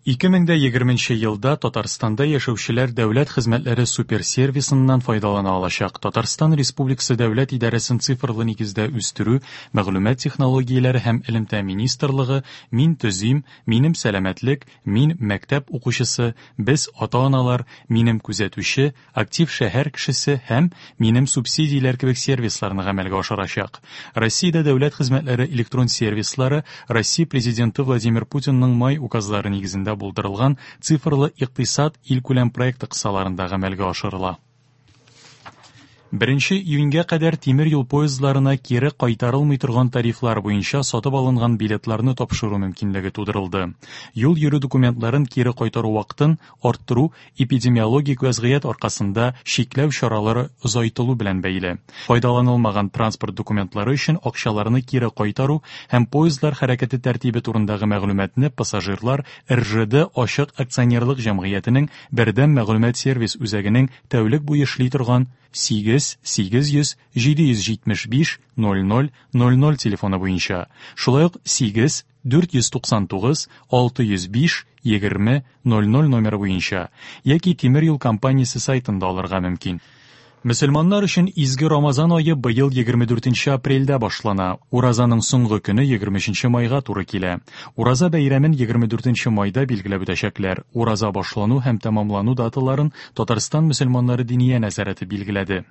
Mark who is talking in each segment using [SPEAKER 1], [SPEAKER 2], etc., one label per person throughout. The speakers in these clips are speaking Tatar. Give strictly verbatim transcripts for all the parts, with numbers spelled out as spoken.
[SPEAKER 1] Ике мең дә егерменче елда Татарстанда яшәүчеләр дәүләт хезмәтләре суперсервисыннан файдалана алачак. Татарстан Республикасы дәүләт идарәсен цифрлы нигездә үстерү, мәгълүмат технологияләре һәм элемтә министрлыгы «Мин төзим», «Минем сәламәтлек», «Мин мәктәп укучысы», «Без ата-аналар», «Минем күзәтүче», «Актив шәһәр кешесе» һәм «Минем субсидияләр» кебек сервисларны гамәлгә ашырачак. Россиядә дәүләт хезмәтләре электрон сервислары Россия Президенты Владимир Путинның май указлары нигезендә булдырылган цифрлы икътисад илкүләм проекты кысаларында гамәлгә ашырыла. Беренче июньгә кадәр тимер юл поездларына кире кайтарылмый торган тарифлар буенча сатып алынган билетларны тапшыру мөмкинлеге тудырылды. Юл йөрү документларын кире кайтару вакытын арттыру эпидемиологик вәзгыять аркасында чикләү чаралары озайтылу белән бәйле. Файдаланылмаган транспорт документлары өчен акчаларны кире кайтару һәм поездлар хәрәкәте тәртибе турындагы мәгълүматны пассажирлар Р Ж Д ачык акционерлык җәмгыятенең бердәм мәгълүмат сервис үзәгенең тәүлек буе эшли торган сигез сигез йөз җиде йөз җитмеш биш ноль ноль ноль ноль телефоны буенча, шулай ук сигез дүрт йөз туксан тугыз алты йөз биш егерме ноль ноль номеры буенча яки тимер юл компаниясе сайтында алырга мөмкин. Мөселманнар өчен изге Рамазан ае быел егерме дүртенче апрельдә башлана. Уразаның соңгы көне егерме өченче майга туры килә. Ураза бәйрәмен егерме дүртенче майда билгеләп үтәчәкләр. Ураза башлану һәм тәмамлану даталарын Татарстан мөселманнары диния нәзарәте билгеләде.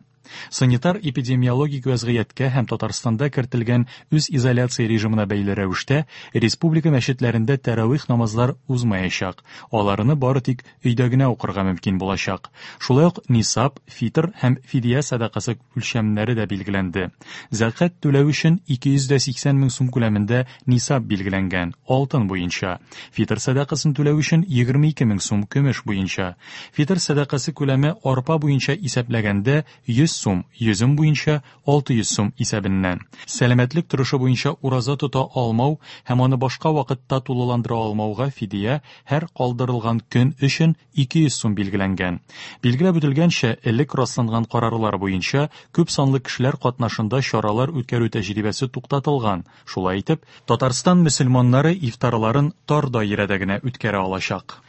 [SPEAKER 1] Санитар-эпидемиологик вәзгыятькә һәм Татарстанда кертелгән үз изоляция режимына бәйле рәвештә республика мәчетләрендә тәравих намазлар узмаячак. Аларны бары тик өйдә генә укырга мөмкин булачак. Шулай ук нисаб, фитр һәм фидия сәдакасы үлчәмнәре дә билгеләнде. Зәкят түләү өчен ике йөз дә сиксән мең сум күләмендә нисаб билгеләнгән, алтын буенча. Фитр сәдакасын түләү өчен егерме ике мең сум көмеш буенча. Фитр сәдакасы күләме арпа буенча исәпләгәндә йөз сум, йөзем буенча алты йөз сум исәбеннән. Сәламәтлек торышы буенча ураза тота алмау һәм аны башка вакытта тулыландыра алмауга фидия һәр калдырылган көн өчен ике йөз сум билгеләнгән. Билгеләп үтелгәнчә, элек расланган карарлар буенча күп санлы кешеләр катнашында чаралар үткәрү тәҗрибәсе туктатылган. Шулай итеп, Татарстан мөселманнары ифтарларын тар даирәдә генә үткәрә алачак.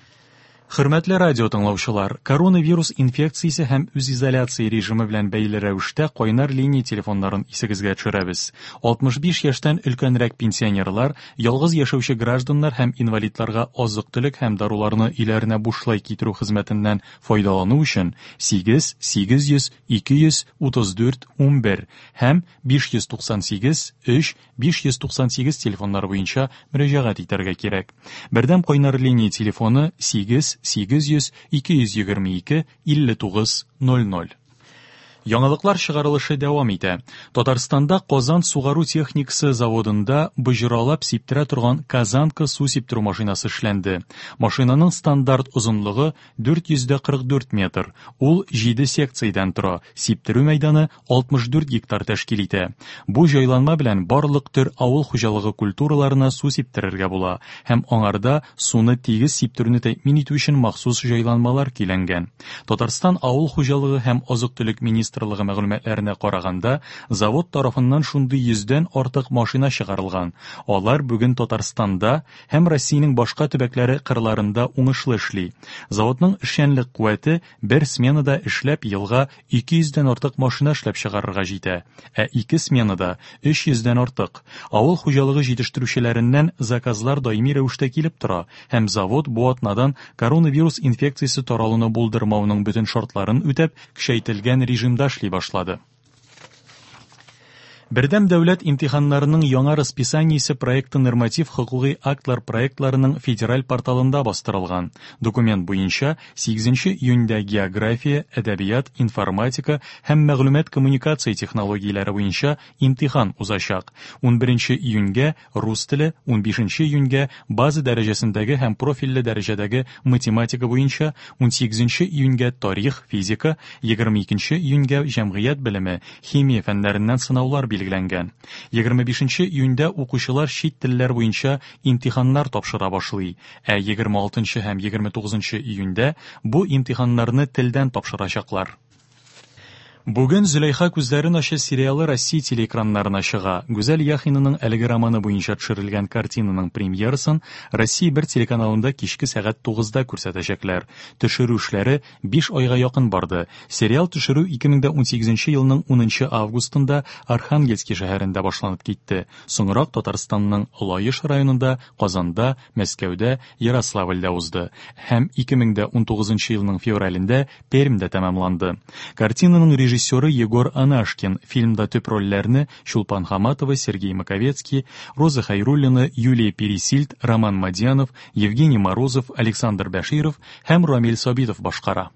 [SPEAKER 1] Хөрмәтле радио тыңлаучылар, коронавирус инфекциясе һәм үзизоляция режимы белән бәйле рәвештә кайнар линия телефоннарын исегезгә төшерәбез. Алтмыш биш яшьтән өлкәнрәк пенсионерлар, ялгыз яшәүче гражданнар һәм инвалидларга азык-төлек һәм даруларны өйләренә бушлай китерү хезмәтеннән файдалану өчен сигез сигез йөз ике йөз утыз дүрт унбер һәм биш йөз туксан сигез өч биш йөз туксан сигез телефоннары буенча мөрәҗәгать итәргә кирәк. Бердәм кайнар линия телефоны сигез сигез йөз ике йөз егерме ике илле тугыз ноль ноль. Яңалыклар чыгарылышы дәвам итә. Татарстанда Казан сугару техникасы заводында боҗралап сиптерә торган Казанка су сиптерү машинасы эшләнде. Машинаның стандарт озынлыгы дүрт йөз дә кырык дүрт метр. Ул җиде секциядән тора. Сиптерү мәйданы алтмыш дүрт гектар тәшкил итә. Бу җайланма белән барлык төр авыл хуҗалыгы культураларына су сиптерергә була һәм аңарда суны тигез сиптерүне тәэмин итү өчен махсус җайланмалар көйләнгән. Татарстан авыл хуҗалыгы һәм азык-төлек министрлыгы мәгълүматларына караганда, завод тарафыннан шундый йөздән артык машина чыгарылган. Алар бүген Татарстанда һәм Россиянең башка төбәкләре кырларында уңышлы эшли. Заводның эшчәнлек куәте бер сменада эшләп елга ике йөздән артык машина эшләп чыгарырга җитә, ә ике сменада өч йөздән артык. Авыл хуҗалыгы җитештерүчеләреннән заказлар даими рәвештә килеп тора һәм завод бу атнадан коронавирус инфекциясе таралуны булдырмауның бөтен шартларын үтәп, көчәйтелгән режимда эшли башлады. Бердәм дәүләт имтиханнарының яңа расписаниесе проекты норматив хокукый актлар проектларының федераль порталында бастырылган. Документ буенча сигезенче июньдә география, әдәбият, информатика һәм мәгълүмат коммуникация технологияләре буенча имтихан узачак. Унберенче июньгә рус теле, унбишенче июньгә база дәрәҗәсендәге һәм профильле дәрәҗәдәге математика буенча, унсигезенче июньгә тарих, физика, егерме икенче июньгә җәмгыять белеме, химия фәннәреннән сынаулар билгеләнгән. Егерме бишенче июньдә укучылар чит телләр буенча имтиханнар тапшыра башлый, ә егерме алтынчы һәм егерме тугызынчы июньдә бу имтиханнарны телдән тапшырачаклар. Бүген «Зөләйха күзләрен ача» сериалы Россия телеэкраннарына чыга. Гүзәл Яхинаның әлеге романы буенча төшерелгән картинаның премьерасын Россия бер телеканалында кичке сәгать тугызда күрсәтәчәкләр. Төшерү эшләре биш айга якын барды. Сериал төшерү ике мең дә унсигезенче елның унынчы августында Архангельский шәһәрендә башланып китте. Соңрак Татарстанның Лаеш районында, Казанда, Мәскәүдә, Ярославльдә узды. Һәм ике мең дә унтугызынчы елның февралендә Пермьдә тәмамланды. Картинаның режиссеры Егор Анашкин. Фильмда төп рольләрне Чулпан Хаматова, Сергей Маковецкий, Роза Хайруллина, Юлия Пересильд, Роман Мадьянов, Евгений Морозов, Александр Бәширов һәм Рамиль Сабитов башкара.